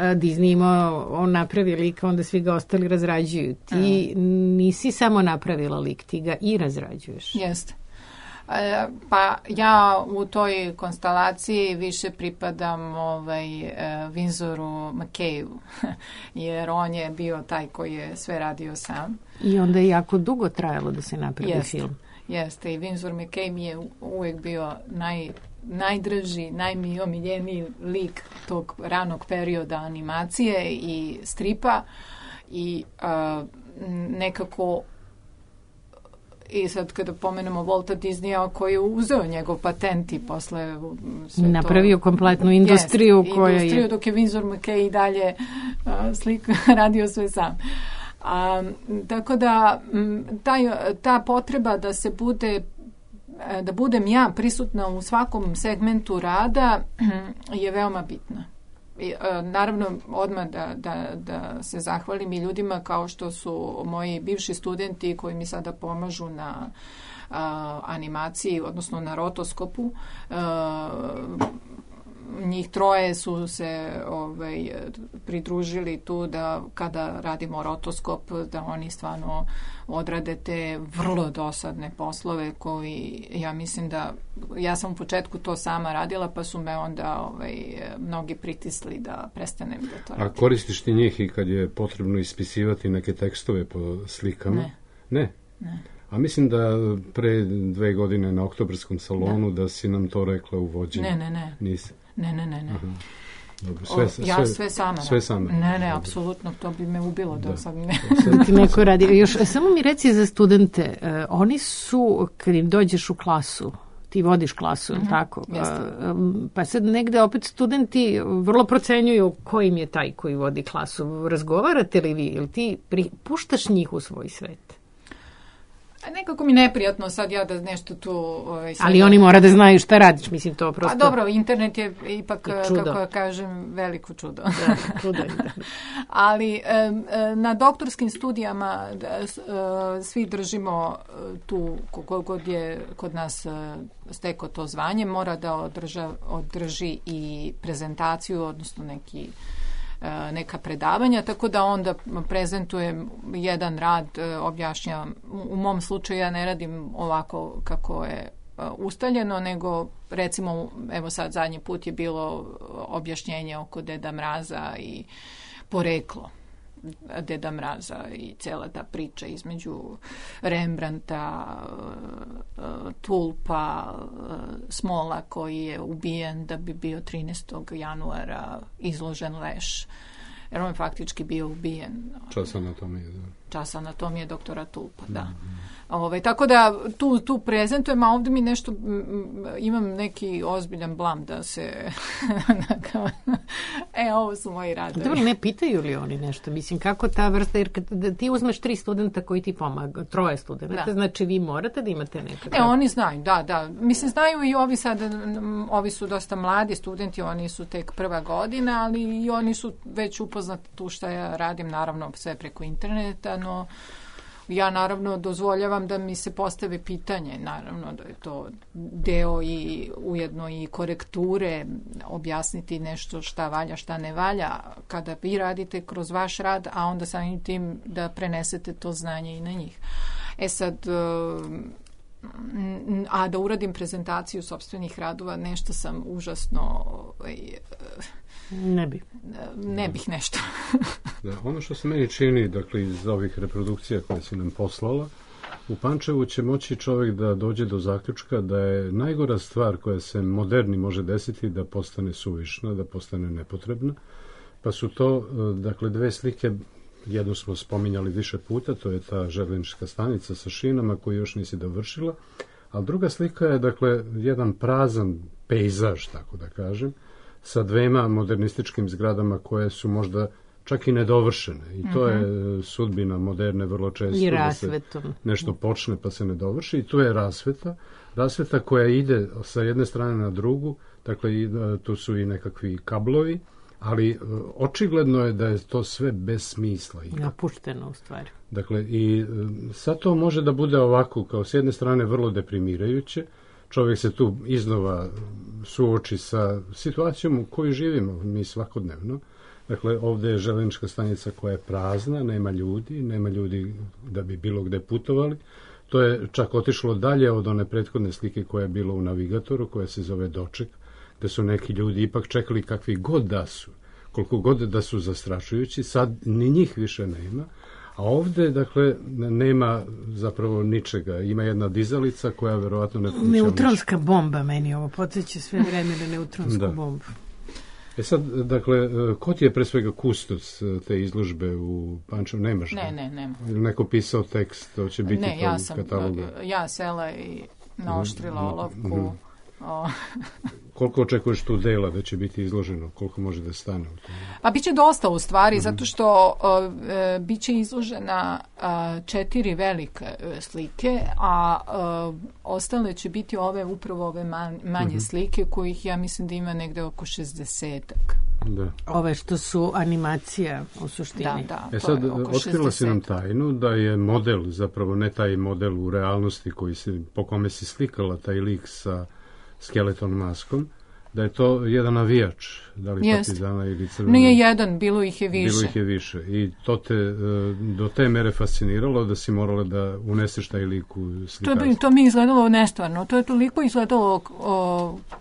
Disney imao, on napravi lika, onda svi ga ostali razrađuju. Ti nisi samo napravila lik, ti ga i razrađuješ. Jeste. Pa ja u toj konstelaciji više pripadam Windsoru McKayu, jer on je bio taj koji je sve radio sam. I onda je jako dugo trajalo da se napravi film. Jeste, i Windsor McKay mi je uvijek bio najdraži, najomiljeniji lik tog ranog perioda animacije i stripa i nekako i sad kada pomenemo Walta Disneya koji je uzeo njegov patent i posle napravio kompletnu industriju koja je... Industriju dok je Windsor McKay i dalje radio sve sam. Tako da ta potreba da budem ja prisutna u svakom segmentu rada je veoma bitna. Naravno, odmah da se zahvalim i ljudima kao što su moji bivši studenti koji mi sada pomažu na animaciji, odnosno na rotoskopu. Njih troje su se pridružili tu da kada radimo rotoskop da oni stvarno odrade te vrlo dosadne poslove koji ja mislim da ja sam u početku to sama radila pa su me onda mnogi pritisli da prestanem da to radim. A koristiš ti njih i kad je potrebno ispisivati neke tekstove po slikama? Ne. A mislim da pre 2 godine na Oktobarskom salonu da si nam to rekla u vođenju. Ne. Nisi? Ne. Dobro, sve sama. Sve sama. Ne, apsolutno, to bi me ubilo da sam ne. Ti neko radi. Još, samo mi reci za studente, oni su, kad im dođeš u klasu, ti vodiš klasu, tako? Pa sad negde opet studenti vrlo procenjuju ko im je taj koji vodi klasu. Razgovarate li vi ili ti puštaš njih u svoj svet? Nekako mi neprijatno sad ja da nešto tu... Ali oni mora da znaju šta radiš, mislim to prosto... A dobro, internet je ipak, kako kažem, veliko čudo. Čudo je. Ali na doktorskim studijama svi držimo tu, kogod je kod nas stekao to zvanje, mora da održi i prezentaciju, odnosno neka predavanja, tako da onda prezentujem jedan rad, objašnjavam. U mom slučaju ja ne radim ovako kako je ustaljeno, nego recimo, evo sad zadnji put je bilo objašnjenje oko Deda Mraza i poreklo Deda Mraza i cijela ta priča između Rembrandta, Tulpa, Smola koji je ubijen da bi bio 13. januara izložen leš. Jer on je faktički bio ubijen. Čas anatomije doktora Tulpa, da. Tako da tu prezentujem, a ovdje mi nešto imam neki ozbiljan blam da se ovo su moji radovi. Dobro, ne pitaju li oni nešto? Mislim, kako ta vrsta, jer kad ti uzmeš 3 studenta koji ti pomaga, 3 studenta, znači vi morate da imate nekakav... Oni znaju, da. Mislim, znaju i ovi sad, ovi su dosta mladi studenti, oni su tek prva godina, ali i oni su već upoznati tu šta ja radim, naravno sve preko interneta, no ja naravno dozvoljavam da mi se postavi pitanje, naravno da je to deo i ujedno i korekture, objasniti nešto šta valja, šta ne valja, kada vi radite kroz vaš rad, a onda samim tim da prenesete to znanje i na njih. Sad, a da uradim prezentaciju sopstvenih radova, nešto sam užasno... Ne bih nešto. Da, ono što se meni čini, dakle, iz ovih reprodukcija koje si nam poslala, u Pančevu će moći čovjek da dođe do zaključka da je najgora stvar koja se moderni može desiti da postane suvišna, da postane nepotrebna. Pa su to, dakle, 2 slike, jednu smo spominjali više puta, to je ta željeznička stanica sa šinama koju još nisi dovršila, a druga slika je, dakle, jedan prazan pejzaž, tako da kažem, sa 2 modernističkim zgradama koje su možda čak i nedovršene. I to je sudbina moderne vrlo često. I rasvetom. Da se nešto počne pa se ne dovrši. I tu je rasveta koja ide sa jedne strane na drugu. Dakle, tu su i nekakvi kablovi, ali očigledno je da je to sve bez smisla. Napušteno u stvari. Dakle, i sad to može da bude ovako, kao s jedne strane vrlo deprimirajuće. Čovjek se tu iznova suoči sa situacijom u kojoj živimo mi svakodnevno. Dakle, ovdje je željeznička stanica koja je prazna, nema ljudi da bi bilo gde putovali. To je čak otišlo dalje od one prethodne slike koja je bila u Navigatoru, koja se zove Doček, gde su neki ljudi ipak čekali kakvi god da su, koliko god da su zastrašujući, sad ni njih više nema. A ovdje, dakle, nema zapravo ničega. Ima jedna dizalica koja verovatno ne funkcioniše. Neutronska bomba meni ovo podsjeća sve vreme na neutronsku bombu. Sad, dakle, ko ti je pre svega kustos te izložbe u Pančevu? Nemaš? Ne. Ili neko pisao tekst, to će biti u katalogu? Ja sela i naoštrila olovku. Koliko očekuješ tu dela da će biti izloženo? Koliko može da stane u tom? Pa biće dosta u stvari, zato što biće izložena 4 velike slike, a ostale će biti upravo ove manje slike, kojih ja mislim da ima negde oko 60-ak. Da. Ove što su animacija u suštini. Da, sad, otkrila si nam tajnu da je model, zapravo ne taj model u realnosti po kome si slikala taj lik sa skeleton maskom, da je to jedan navijač, da li Partizana ili Crvena. Nije jedan, bilo ih je više. I to te do te mere fasciniralo da si morala da uneseš taj lik u slikarstvo. To mi je izgledalo nestvarno. To je toliko izgledalo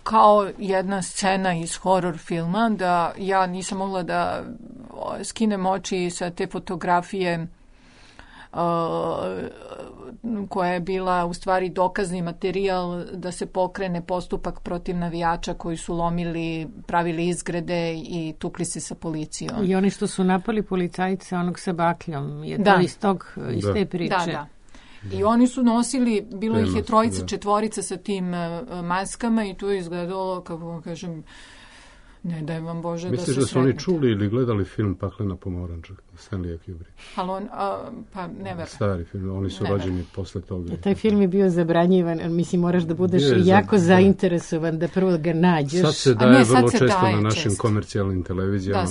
kao jedna scena iz horror filma, da ja nisam mogla da skinem oči sa te fotografije koja je bila u stvari dokazni materijal da se pokrene postupak protiv navijača koji su pravili izgrede i tukli se sa policijom. I oni što su napali policajca, onog sa bakljom, je to iz te priče. Da. I oni su nosili, bilo ih je 3, 4 sa tim maskama i to je izgledalo, kako vam kažem, ne daj vam Bože. Misliš da su oni čuli ili gledali film Paklena pomoranđa Stanleya Kubricka? Pa ne verujem. Stari film, oni su rođeni posle toga. Taj film je bio zabranjivan, mislim moraš da budeš jako zainteresovan da prvo ga nađeš. Sad se daje vrlo često na našim komercijalnim televizijama.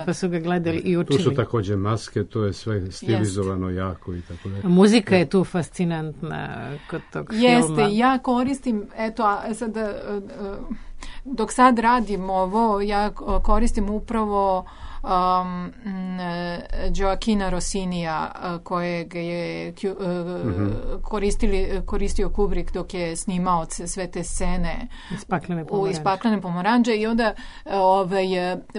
Pa su ga gledali i učili. Tu su takođe maske, to je sve stilizovano jako i tako da. Muzika je tu fascinantna kod tog filma. Jeste, ja koristim, dok sad radim ovo, ja koristim upravo Gioachina Rossinija kojeg je koristio Kubrick dok je snimao sve te scene iz Paklene pomoranđe i onda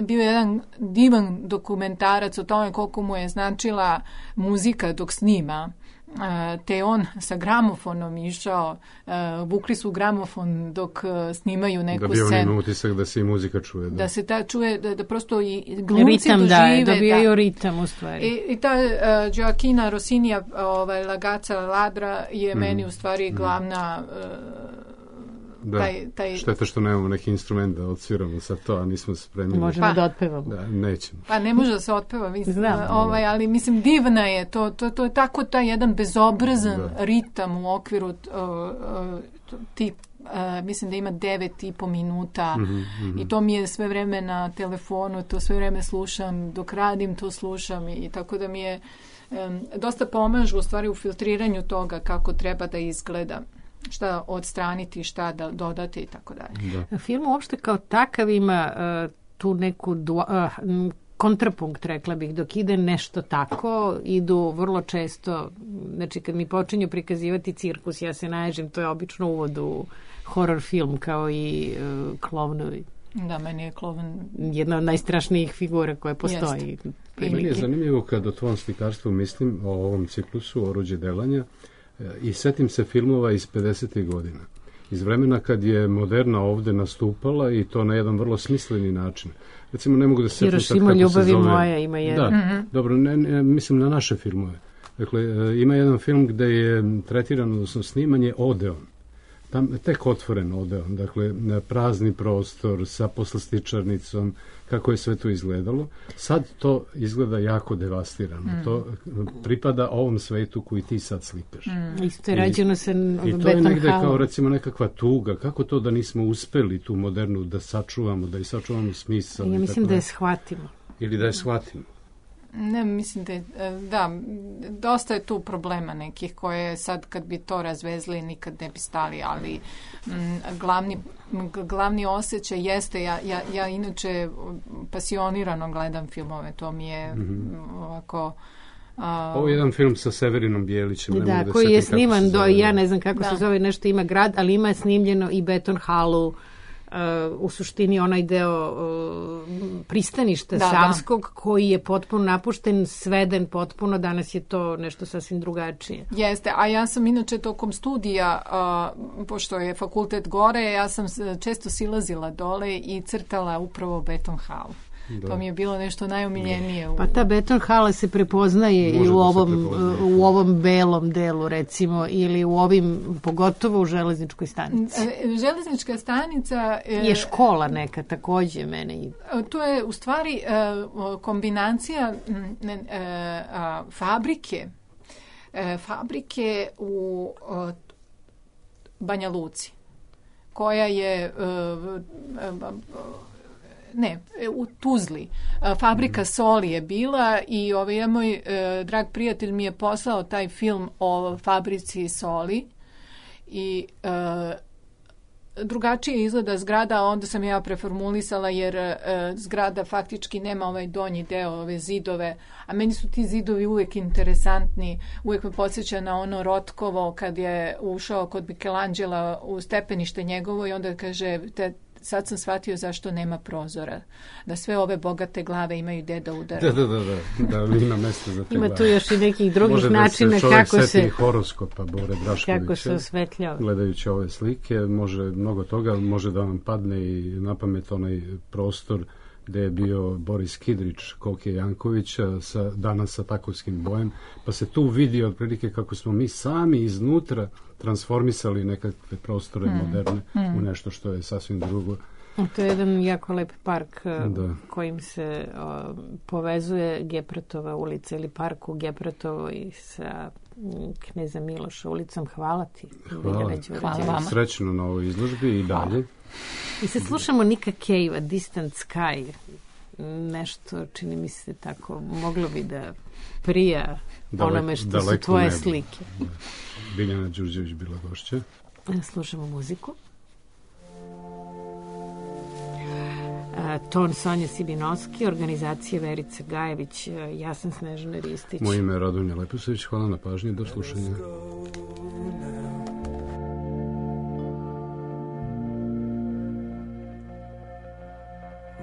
bio jedan divan dokumentarac o tome koliko mu je značila muzika dok snima. Te on sa gramofonom išao, vukli su gramofon dok snimaju neku scenu. Da bi on imao utisak da se i muzika čuje. Da se čuje, da prosto i glumci dožive. Dobijaju ritam u stvari. I ta Gioachina Rossinija, Lagaca Ladra je meni u stvari glavna... Šteta što nemamo neki instrument da odsviramo sa to, a nismo spremili. Možemo da otpevamo. Da, nećemo. Pa ne može da se otpeva, ali mislim divna je, to je tako taj jedan bezobrazan ritam u okviru mislim da ima 9,5 minuta i to mi je sve vreme na telefonu, to sve vreme slušam, dok radim to slušam i tako da mi je dosta pomažu u stvari u filtriranju toga kako treba da izgleda. Šta odstraniti, šta da dodati i tako dalje. Film uopšte kao takav ima tu neku kontrapunkt, rekla bih, dok ide nešto tako, idu vrlo često, znači kad mi počinju prikazivati cirkus, ja se naježim, to je obično uvod u horror film, kao i klovnovi. Da, meni je klovn jedna od najstrašnijih figura koje postoji. Meni je zanimljivo kad o tvom slikarstvu mislim, o ovom ciklusu, Oruđe delanja, i setim se filmova iz 50. godina. Iz vremena kad je moderna ovde nastupala i to na jedan vrlo smisleni način. Recimo, ne mogu da se setim sad kako Ljubavi se zove. moja ima jedan. Da, dobro, ne, mislim na naše filmove. Dakle, ima jedan film gde je tretirano, odnosno snimanje Odeon. Tam tek otvoren Odeon, dakle, prazni prostor sa poslastičarnicom, kako je sve to izgledalo. Sad to izgleda jako devastirano. To pripada ovom svetu koji ti sad slikaš. Isto je rađeno se i to je negde kao recimo nekakva tuga. Kako to da nismo uspeli tu modernu da sačuvamo, da i sačuvamo smisao? Ja mislim da je shvatimo. Ili da je shvatimo. Ne, mislim da, dosta je tu problema nekih koje sad kad bi to razvezli nikad ne bi stali, ali glavni osjećaj jeste, ja inače pasionirano gledam filmove, to mi je ovako... Ovo je jedan film sa Severinom Bijelićem. Da, koji je sniman ja ne znam kako se zove, nešto ima grad, ali ima snimljeno i Beton Hallu, u suštini onaj deo pristaništa Savskog koji je potpuno napušten, sveden potpuno, danas je to nešto sasvim drugačije. Jeste, a ja sam inače tokom studija, pošto je fakultet gore, ja sam često silazila dole i crtala upravo Beton Hallu. Da. To mi je bilo nešto najomiljenije. Pa ta Beton hala se prepoznaje i u ovom belom delu, recimo, ili u ovim, pogotovo u železničkoj stanici. Železnička stanica... je škola neka, takođe mene. To je u stvari kombinacija fabrike u Banja Luci, koja je... u Tuzli. Fabrika soli je bila i moj drag prijatelj mi je poslao taj film o fabrici soli i drugačije izgleda zgrada, onda sam ja preformulisala jer zgrada faktički nema ovaj donji deo, ove zidove, a meni su ti zidovi uvijek interesantni, uvijek me podsjeća na ono Rotkovo kad je ušao kod Michelangela u stepenište njegovo i onda kaže sad sam shvatio zašto nema prozora. Da sve ove bogate glave imaju gde da udara. Da, ima mesta za te glave. Ima tu još i nekih drugih načina kako se... Može da se čovjek seti horoskopa Bore Draškovića. Kako se osvetljava. Gledajući ove slike, može mnogo toga, može da vam padne i na pamet onaj prostor gde je bio Boris Kidrić, Koke Jankovića, danas sa takovskim bojem, pa se tu vidi otprilike kako smo mi sami iznutra transformisali nekakve prostore moderne u nešto što je sasvim drugo. To je jedan jako lep park kojim se povezuje Gepratova ulica ili park u Gepratovoj sa Kneza Miloša ulicom. Hvala ti. Hvala vama. Srećno na ovoj izložbi i dalje. I sad slušamo Nika Cave-a, Distant Sky. Nešto, čini mi se tako, moglo bi da prija onome što su tvoje slike. Biljana Đurđević bila gošća. Slušamo muziku. Ton Sonja Sibinovski, organizacija Verica Gajević, ja sam Snežana Ristić. Moje ime je Radonja Leposavić, hvala na pažnji, do slušanja.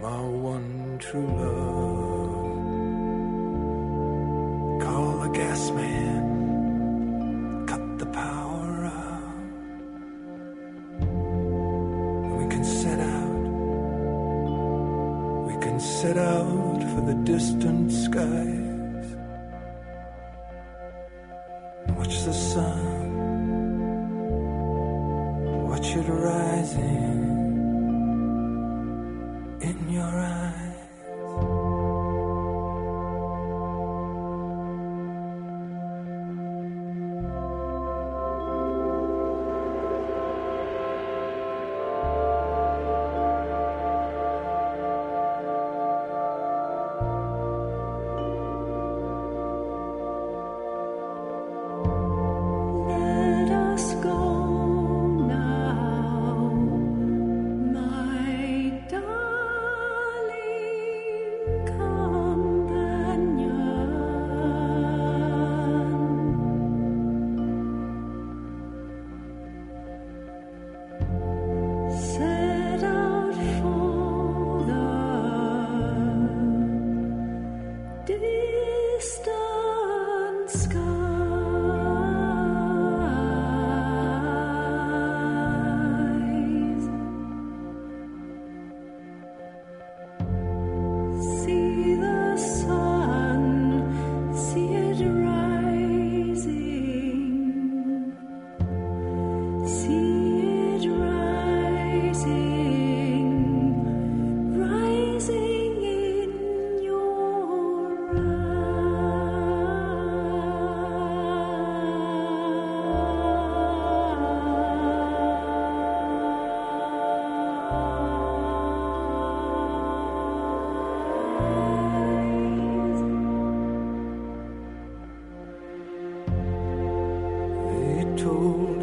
My one true love, call the gas man, cut the power out, we can set out for the distant skies, watch the sun, watch it rising in your eyes.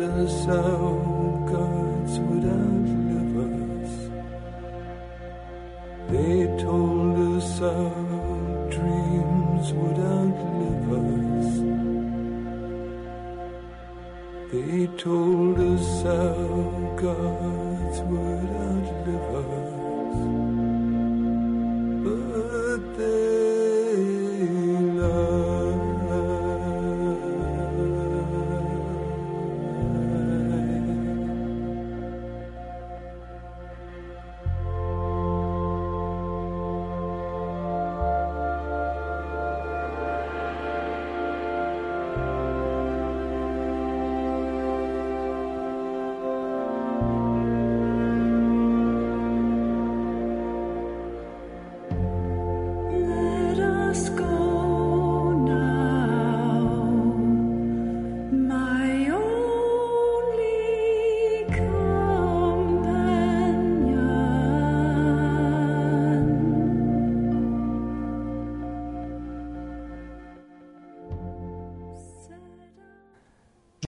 us our gods would outlive us. They told us our dreams would outlive us. They told us our gods would outlive us.